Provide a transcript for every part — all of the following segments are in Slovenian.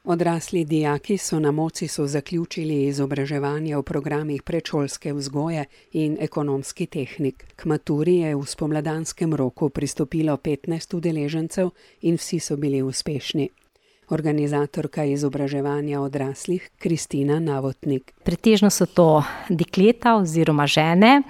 Odrasli dijaki so na Mocisu zaključili izobraževanje v programih predšolske vzgoje in ekonomski tehnik. K maturi je v spomladanskem roku pristopilo 15 udeležencev in vsi so bili uspešni. Organizatorka izobraževanja odraslih Kristina Navotnik. Pretežno so to dekleta oziroma žene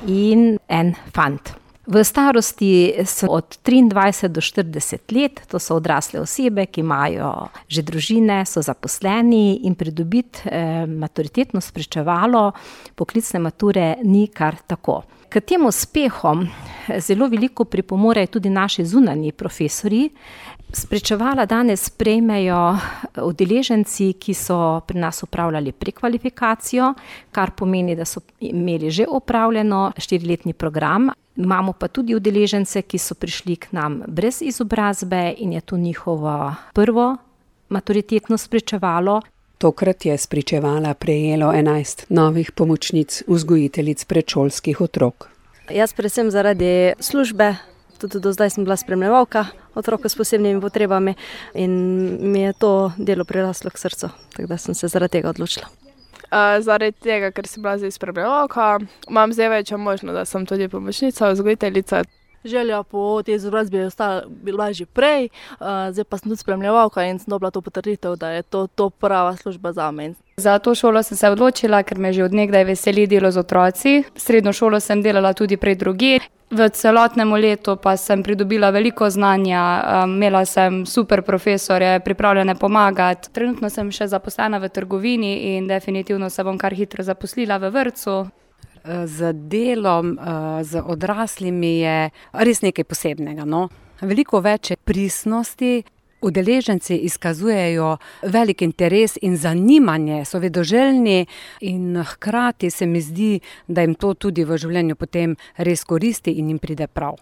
in en fant. V starosti so od 23 do 40 let, to so odrasle osebe, ki imajo že družine, so zaposleni in pridobiti maturitetno spričevalo poklicne mature ni kar tako. K tem uspehom zelo veliko pripomorejo tudi naši zunanji profesorji. Spričevala danes prejmejo udeleženci, ki so pri nas opravljali prekvalifikacijo, kar pomeni, da so imeli že opravljeno 4-letni program. Imamo pa tudi udeležence, ki so prišli k nam brez izobrazbe in je to njihovo prvo maturitetno spričevalo. Tokrat je spričevala prejelo 11 novih pomočnic vzgojiteljic predšolskih otrok. Jaz predvsem zaradi službe, tudi do zdaj sem bila spremljevalka otrok s posebnimi potrebami in mi je to delo priraslo k srcu, tako da sem se zaradi tega odločila. Zaradi tega, ker sem bila zdaj spremljevalka, imam zdaj večjo možnost, da sem tudi pomočnica, vzgojiteljica. Želja po tej izobrazbi je bila že prej, zdaj pa sem tudi spremljevalka in sem dobila to potrditev, da je to prava služba zame. Za to šolo sem se odločila, ker me že od nekdaj veseli delo z otroci. Srednjo šolo sem delala tudi prej drugje. V celotnem letu pa sem pridobila veliko znanja, imela sem super profesorje, pripravljene pomagati. Trenutno sem še zaposlena v trgovini in definitivno se bom kar hitro zaposlila v vrtcu. Z delom z odraslimi je res nekaj posebnega. No? Veliko več pristnosti. Udeleženci izkazujejo velik interes in zanimanje, so vedoželjni in hkrati se mi zdi, da jim to tudi v življenju potem res koristi in jim pride prav.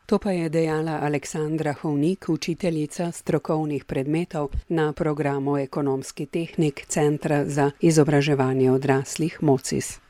To pa je dejala Aleksandra Hovnik, učiteljica strokovnih predmetov na programu ekonomski tehnik Centra za izobraževanje odraslih Mocis.